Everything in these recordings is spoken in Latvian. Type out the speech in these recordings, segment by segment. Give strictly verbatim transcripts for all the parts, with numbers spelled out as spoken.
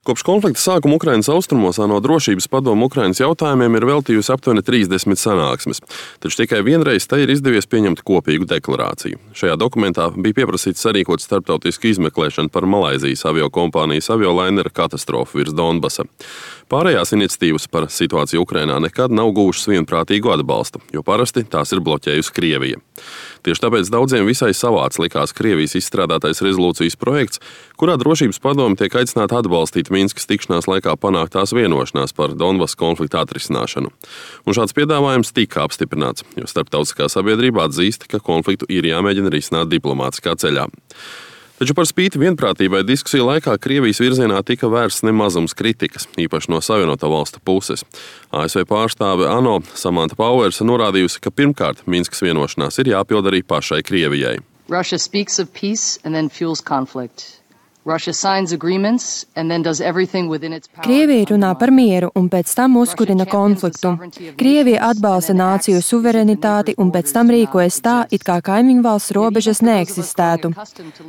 Kopš konflikta sākuma Ukrainas austrumos ANO drošības padome Ukrainas jautājumiem ir veltījusi aptuveni trīsdesmit sanāksmes, taču tikai vienreiz tai ir izdevies pieņemt kopīgu deklarāciju. Šajā dokumentā bija pieprasīts sarīkot starptautisku izmeklēšanu par Malaizijas aviokompānijas aviolainera katastrofu virs Donbasa. Pārējās iniciatīvas par situāciju Ukrainā nekad nav guvušas vienprātīgu atbalstu, jo parasti tās ir bloķējusi Krievija. Tieši tāpēc daudziem visai savāds likās Krievijas izstrādātais rezolūcijas projekts, kurā drošības padome tiek aicināta atbalstīt Minskas tikšanās laikā panāktās vienošanās par Donbasa konflikta atrisināšanu. Un šāds piedāvājums tika apstiprināts, jo starptautiskā sabiedrība atzīst, ka konfliktu ir jāmēģina risināt diplomātiskā ceļā. Taču par spīti vienprātībai diskusiju laikā Krievijas virzienā tika vērsts nemazums kritikas, īpaši no Savienoto valstu puses. A S V pārstāve ANO Samanta Powers norādījusi, ka pirmkārt Minskas vienošanās ir jāpild arī pašai Krievijai. Russia speaks of peace and then fuels conflict. Russia signs agreements and then does everything within its power. Krievija runā par mieru un pēc tam uzkurina konfliktu. Krievija atbalsta nāciju suverenitāti un pēc tam rīkojas tā, it kā kaimiņu valsts robežas neeksistētu.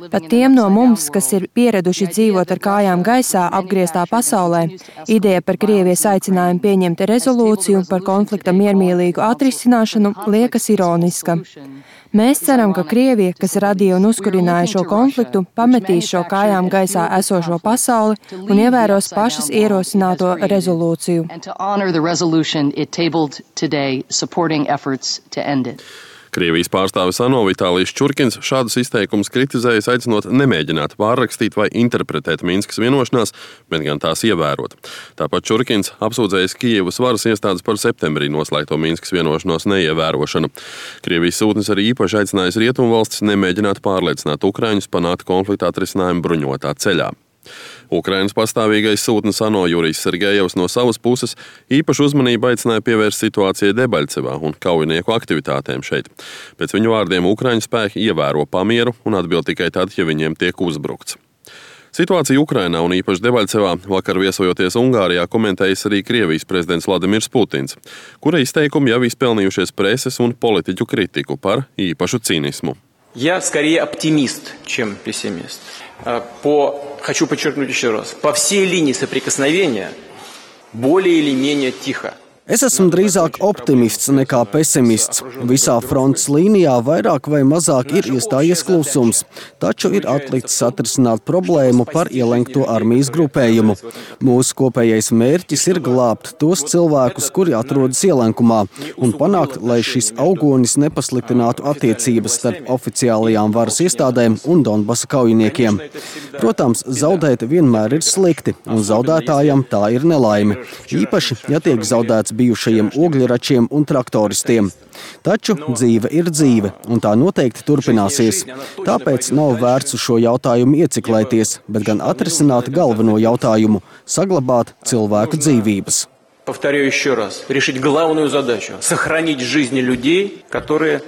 Pat tiem no mums, kas ir pieraduši dzīvot ar kājām gaisā apgrieztā pasaulē, ideja par Krievijas aicinājumu pieņemt rezolūciju par konflikta miermīlīgu atrisināšanu liekas ironiska. Mēs ceram, ka Krievija, kas radīja un uzkurināja šo konfliktu, pametīs šo kājām gaisā esošo pasauli un ievēros pašas ierosināto rezolūciju. Krievijas pārstāvis ANO Vitālijs Čurkins šādus izteikumus kritizējis, aicinot nemēģināt pārrakstīt vai interpretēt Minskas vienošanās, bet gan tās ievērot. Tāpat Čurkins apsūdzējis Kijevas varas iestādes par septembrī noslēgto Minskas vienošanos neievērošanu. Krievijas sūtnis arī īpaši aicinājis rietumvalstis nemēģināt pārliecināt ukraiņus panākt konflikta atrisinājumu bruņotā ceļā. Ukrainas pastāvīgais sūtnis ANO Jurijs Sergejevs no savas puses īpašu uzmanību aicināja pievērst situācijai Debaļcevā un kaujinieku aktivitātēm šeit. Pēc viņu vārdiem ukraiņu spēki ievēro pamieru un atbild tikai tad, ja viņiem tiek uzbrukts. Situāciju Ukrainā un īpaši Debaļcevā vakar viesojoties Ungārijā komentējis arī Krievijas prezidents Vladimirs Putins, kura izteikumi jau izpelnījušies preses un politiķu kritiku par īpašu cinismu. Я скорее оптимист, чем пессимист. По, хочу подчеркнуть еще раз, по всей линии соприкосновения более или менее тихо. Es esmu drīzāk optimists nekā pesimists. Visā frontes līnijā vairāk vai mazāk ir iestājies klusums, taču ir atlikts atrisināt problēmu par ielenkto armijas grupējumu. Mūsu kopējais mērķis ir glābt tos cilvēkus, kuri atrodas ielenkumā, un panākt, lai šis augonis nepasliktinātu attiecības starp oficiālajām varas iestādēm un Donbasa kaujiniekiem. Protams, zaudēt vienmēr ir slikti, un zaudētājam tā ir nelaime. Īpaši, ja tiek zaudēts bijušajiem ogļračiem un traktoristiem. Taču dzīve ir dzīve, un tā noteikti turpināsies. Tāpēc nav vērts uz šo jautājumu ieciklēties, bet gan atrisināt galveno jautājumu – saglabāt cilvēku dzīvības. Повторяю еще раз, решить главную задачу – сохранить жизни людей, которые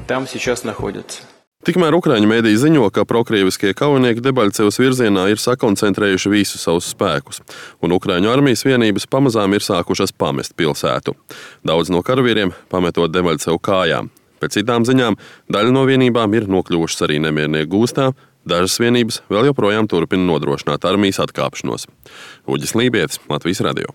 там сейчас находятся. Tikmēr ukraiņu mēdī ziņo, ka prokrieviskie kaujinieki Debaļcevas virzienā ir sakoncentrējuši visus savus spēkus, un ukraiņu armijas vienības pamazām ir sākušas pamest pilsētu. Daudz no karavīriem pametot Debaļcevu kājām. Pēc citām ziņām, daļa no vienībām ir nokļuvušas arī nemiernieku gūstā, dažas vienības vēl joprojām turpina nodrošināt armijas atkāpšanos. Uģis Lībietis, Latvijas radio.